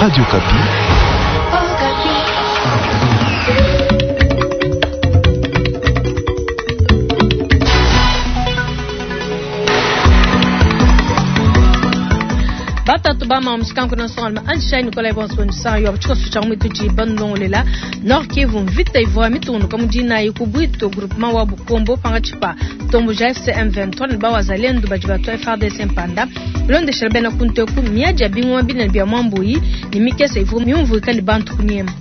Radio Okapi. Batatu ba ma mushikanku na nsongalume anjishayi Nikolai bonso bondisa yo tshikoso tshia muitudi bandongolela Nord Kivu mvita ivua mitungunuka mu dinayi ku Bwito groupement wa Bukombo pangatshi pa ntomboji ya AFC M23 ne bawazalendu badi batua FARDC mpanda bilondeshela bena kunteku miadi ya bingoma binene bia muambuyi ne mikese ivua miumvuika ne bantu kunyema.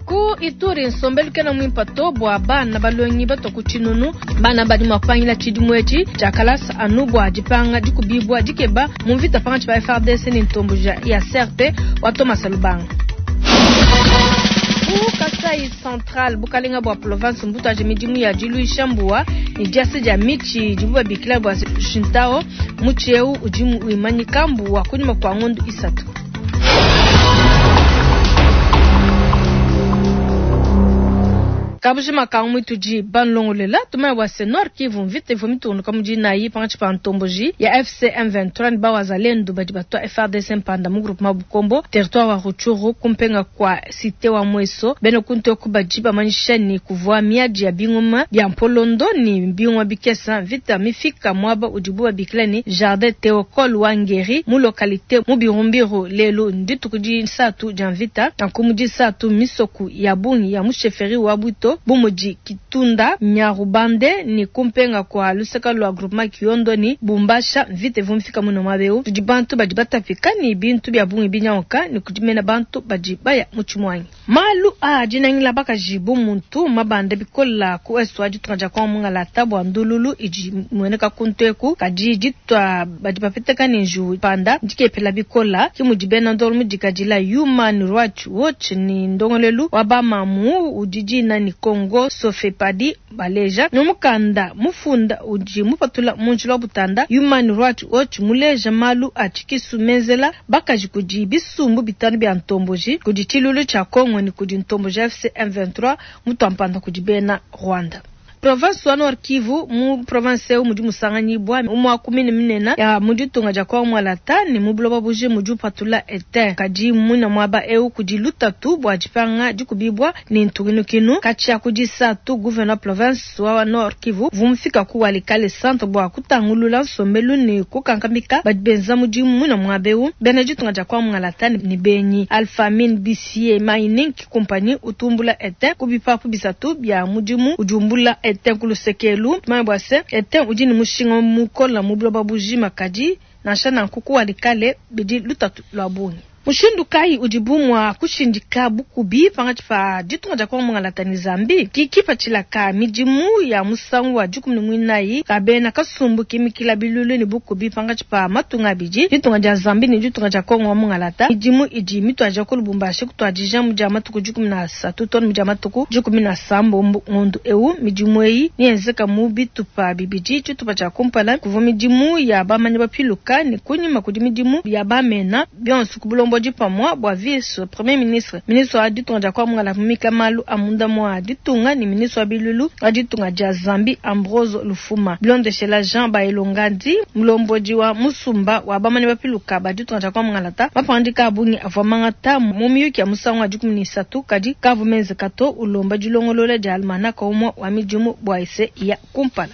Ku Ituri nsombelu kena muimpa to bua bana balongi batua ku tshinunu. Bana badi mua kupangila tshidimu etshi tshia kalasa anu bua dipanga dikubibua dikeba mu mvita pankatshi pa FARDC ne ntomboji ya CRP wa Thomas Lubanga. Ku Kasai Central, bukalenga bua province mbutuaje midimu ya diluisha mbuwa ne diasa dia mitshi idibu babikila bua Shintao. Mutshi eu udi wimanyika mbuwa kunyima kua ngondo isatu. Kabujima ka muitudi banlongolela tumanya bua se Nord Kivu mvita ivua mitungunuka mu dinayi pankatshi pa ntomboji ya AFC M23 ne bawazalendu badi batua FARDC mpanda mu groupement Bukombo territoire wa Rutshuru kumpenga kua cité wa Mweso. Bena kuntoku badi bamanyisha ne kuvua miadi ya bingoma bia mpolondo ne bingoma bikesa. Mvita mifika muaba udibu babikila ne Jardin Theocole wa Ngeri mu localité mu Birumbiru. Lelu ndituku disatu dia mvita nanku mu disatu misoku ya bungi ya mu chefferie wa Bwito bu mudi Kitunda, Nyarubande ne kumpenga kua luseka lua groupement Kiondo ne Bumbasha. Mvita ivua mifika muno muaba eu tudi bantu badi batapika ne bintu bia bungi binyanguka ne kudi mena bantu badi baya mu tshimuangi. Malu a dinangila bakaji bu muntu mabanda bikola ku est wa ditunga dia Kongo mungalata bua ndululu idi imueneka kuntu eku kadi ditua badi bapeteka ne njiwu panda ndikepela bikola ki mudi bena ndolo mudikadila Human Rights Watch ne ndongolelu wa bamamu udi dina ne Congo Sofepadi baleja mu mukanda mufunda udi mupatula mu njila wa butanda. Human Rights Watch muleja malu a tshikisu menzela bakaji kudi bisumbu bitanu bia ntomboji kudi tshilulu tshia Congo ne kudi ntomboji AFC M23 mutuampanda kudi bena Rwanda. Province wa Nord Kivu mu province eu mudi musanganyibua umua ku mine minene ya mu ditunga dia Kongo Mwalata ne mu buloba buji mudi upatula etain. Kadi muina muaba eu kudi lutatu bua dipanga dikubibua ne ntukinukinu. Katshia ku disatu gouverneur province wa Nord Kivu vumufika ku Walikale centre bua kutangulula nsombelu ne kukankamika badi benza mudimu muina muaba eu bena ditunga dia Kongo Mwalata ne benyi. Alpha Mine BCA Mining Company utumbula etain ku bipapu bisatu bia mudimu udi umbula etain ku lusekelu. Tumanye bua se etain udi ne mushinga mukola mu buloba bujima, kadi nansha nanku ku Walikale bidi lutatu lua bungi. Mushindu kayi udibu mua kushindika bukubi pankatshi pa ditunga dia Kongo Mungalata ne Zambie? Ki kipatshila ka midimu ya musangu wa 14 ka bena kasumbu kimikila bilulu ne bukubi pankatshi pa matunga abidi, ditunga dia Zambie ne ditunga dia Kongo wa Mungalata. Midimu idi mituadija ku Lubumbashi kutuadija mu dia matuku 13 to ne mu dia matuku 17 ngondo eu. Midimu eyi niyenzeka mu bitupa bibidi. Tshitupa tshia kumpala kuvua midimu ya bamanyi bapiluka ne kunyima kudi midimu ya bamena bionso ku bulombodi pamua bua vice premier ministre, ministre wa ditunga dia Kongo Mungalata mumika malu a munda mua ditunga ne ministre wa bilulu wa ditunga dia Zambie Ambrose Lufuma. Bilondeshela Jean Baelongandi mulombodi wa musumba wa bamanyi bapiluka ba ditunga dia Kongo Mungalata, mapangadika a bungi avua mangata mu miyuki ya musangu wa 13 kadi kavu menzeka to, ulomba dilongolola dia almanaka umue wa midimu bua ese ya kumpala.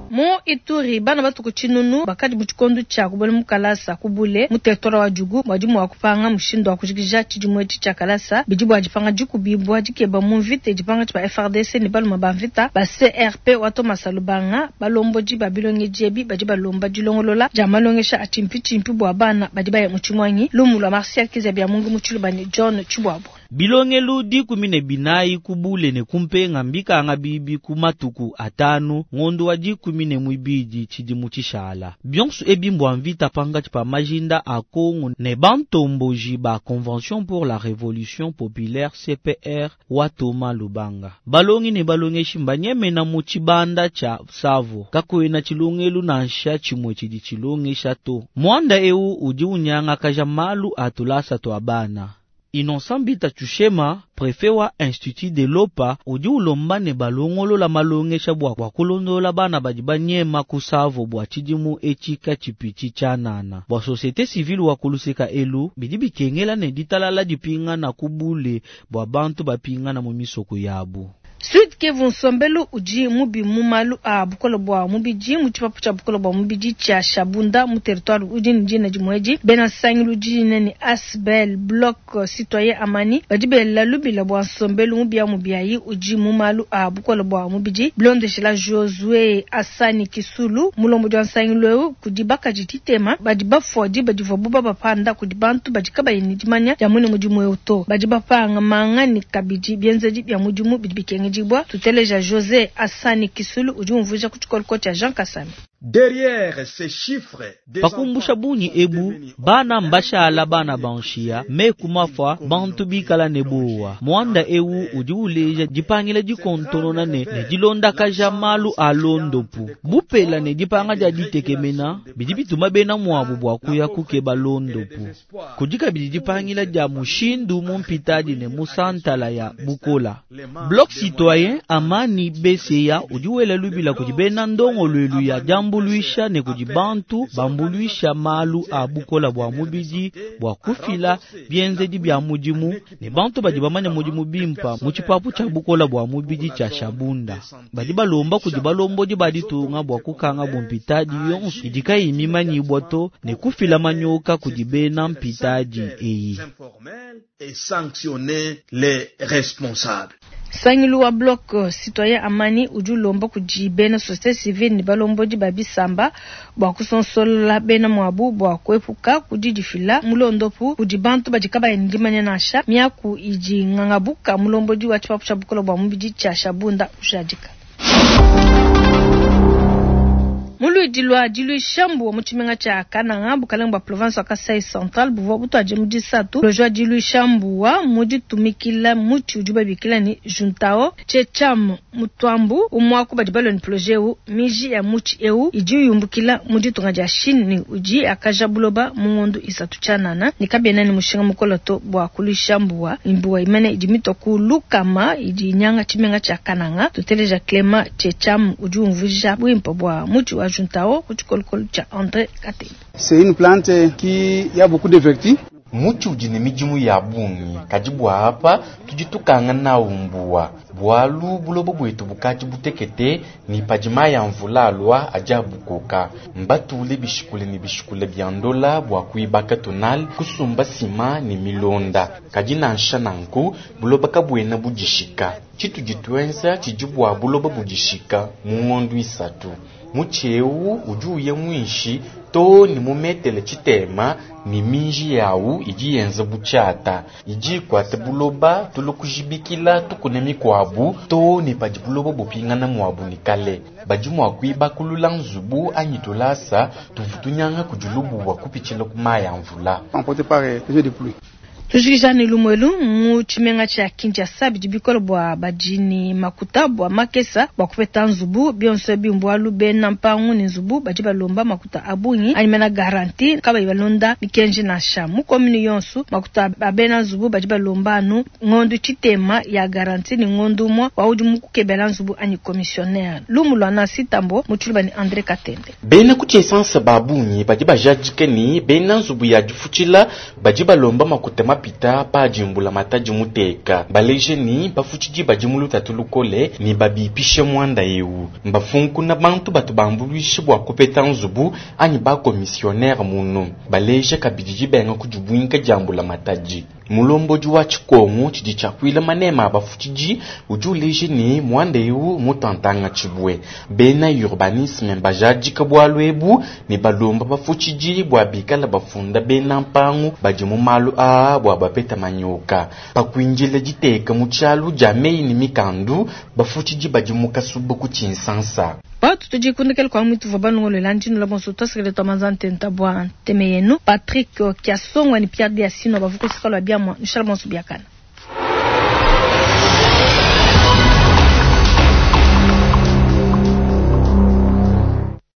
Mu Ituri bana batuku tshinunu bakadi mu tshikondo tshia kubuela mu kalasa kubule mu territoire wa Djugu badi mua kupanga mushindu wa kujikija tshidimu etshi tshia kalasa bidi bua dipanga dikubibua dikeba mu mvita dipanga tshia FARDC ne baluma ba mvita ba CRP wa Thomas Lubanga. Balombodi ba bilongedi ebi badi balomba dilongolola dia malongesha a tshimpi bua bana badi baya mu tshimuangi. Lumu lua Martial Kizabia Mungu mu Tshiluba ne John Tshibuabua. Bilongelu 14 kubule ne kumpenga mbikanga bibi ku matuku atanu ngondo wa 12 tshidimu tshishala. Bionso ebi mbwa mvita pangatshi pa majinda a Kongo ne bantomboji ba Convention pour la Révolution Populaire CPR wa Thomas Lubanga. Balongi ne balongeshi mbanyemena mu tshibanda tshia Savo kakuena tshilongelu nansha tshimue tshidi tshilongesha to. Mwanda eu udi unyangakaja malu a tulasa tua bana. Innocent Bita Tshushema, prefet wa Institut de Lopa, udi ulomba ne balongolola malongesha bua kulondolola bana badi banyema ku Savo bua tshidimu etshi katshipitshi tshianana. Bua societe civile wa kuluseka elu, bidi bikengela ne ditalala dipingana ku bule bua bantu bapingana mu misoko yabu. Sud Kivu, nsombelu udi mubi mu malu a bukole bua mubidi mu tshipapu tshia bukole bua mubidi tshia Shabunda mu territoire udi ne dina dimue edi. Bena nsangilu dina ne Asbel Bloc Citoyen Amani badi bela lubila bua nsombelu mubiamubiayi udi mu malu a bukole bua mubidi. Bilondeshila Josue Asani Kisulu, mulombodi wa nsangilu eu, kudi bakaji ditema badi bafua diba divuabu babapanda kudi bantu badi kabayi ne dimanya dia muine mudimu eu to. Badi bapanga manga ne kabidi bienzedi bia mudimu bidi bikengedibua. Tuteleja Jose Asani Kisulu udi umvuija ku tshikoloko tshia Jean Kasami. Derrière ces chiffres, des Pakumbusha enfants bungi sont ebu, devenus bana orphelins, mbashala bana banshiya, meku mafua, bantu bikala ne bowa. Muanda eu udi uleja dipangila dikontonona ne dilondakaja malu a londopu. Bupela ne dipanga dia ditekemena bidi bituma bena muabu bua kuya kukeba londopu. Kudi kabidi dipangila dia mushindu mu mpitadi ne mu santala ya bukola. Bloc Citoyen Amani Beseya udi wela lubila kudi bena ndongoluelu ya diambuluisha ne kudi bantu bambuluisha malu a bukola bua mubidi bua kufila bienzedi bia mudimu ne bantu badi bamanya mudimu bimpa mu tshipapu tshia bukola bua mubidi tshia Shabunda. Badi balomba kudi balombodi ba ditunga bua kukanga bumpitadi yonso idi kayi mimanyibwa to ne kufila manyoka kudi bena mpitadi eyi. informels et sanctionner les responsables. Nsangilu wa Bloc Citoyen Amani udi ulomba kudi bena societe civile ne balombodi ba bisamba bua kusonsola bena muabu bua kuepuka kudidifila mulondopu kudi bantu badi kabayi ne dimanya nansha. Miaku idi ngangabuka mulombodi wa tshipapu tshia bukole bua mubidi tshia Shabunda ujadika. Muluidi lwa diluisha mbuwa mu tshimenga tshia Kananga, bukalenge bua province wa Kasai Central buvua butuadije mu disatu projet wa diluisha mbuwa mu ditumikila mutshi udi babikila ne Juntao Checham Mutuambu umwaku badi balua ne projet eu. Miji ya mutshi eu idi yumbukila mu ditunga dia Chine ne udi akaja buloba mu ngondo isatu tshianana ne kabiena ne mushinga mukole to bua kuluisha mbuwa. Mbuwa imene idi mitua ku lukama idi inyanga tshimenga tshia Kananga. Tuteleja Clement Checham udi umvuija buimpe bua mutshi wa Juntao ku tshikolokolo tshia André Katende. C'est une plante qui a beaucoup de vertus. Mutshi udi ne midimu ya bungi, kadi bua apa tudi tukanga nawu mbuwa bualu buloba bwetu bukadi butekete ne padi mayi a mvula alua adi abukoka. Mbatule bishikule ne bishikule bia ndola bua kuibaka tonal kusumba sima ne milonda, kadi nansha nanku buloba kabuena budishika. Tshitudi tuenza tshidi bua buloba budishika mu ngondo isatu. Mutshi eu udi uya muinshi to ne mu metele tshitema ne minji yawu idi yenza butshiata idi ikuata buloba tulu kujibikila tukune mikuabu to ne padi buloba bupingana muabu ne kale. Badi mua kuibakulula nzubu anyi tulasa tuvu tunyanga kudi lubuwa kupitshila ku mayi a mvula. Emporté par les eaux de pluie. Tujikija ne lumuelu mu tshimenga tshia Kinshasa bidi bikole bua badi ne makuta bua makesa bua kupeta nzubu. Bionso ebi mbualu bena mpangu ne nzubu badi balomba makuta a bungi anyi mena garantie kabayi balonda mikenji nansha. Mu commune yonso makuta a bena nzubu badi balomba anu ngondo tshitema ya garantie ne ngondo umue wa udi mukukebela nzubu anyi commissionnaire. Lumu lua Nancy Tambo mu tshiluba ne André Katende. Bena ku tshisansa ba bungi badi bajadike ne bena nzubu ya difutshila badi balomba makuta mapita padimbula matadi muteka baleje ni bafutshidi badi mu lutatu lukole ne babipishe muanda eu. Mbafunkuna bantu batu bambuluishe bua kupeta nzubu anyi bakomisionere munu baleje kabidi dibenga kudibwinka diambula matadi. Mulombodi wa tshikongo tshidi tshiakuila manema a bafutshidi udi uleje ne muanda eu mutantanga tshibue. Bena urbanisme mbajadika bualu ebu ne balomba bafutshidi bua bikala bafunda bena mpangu badi mu malu aa bua bapeta manyoka. Pakuinjila diteka mu tshialu dia meyi ne mikandu bafutshidi badi mu kasuba ku tshinsansa. Batu tudikundikela kwa mwitu vwa banongolola ndino la bonso twasekele twa manza ntenta bwa nteme yenu Patrick Kiasongwa ni Pierre Diasino bavuko sikalo bya mwa nshala bonso biakana.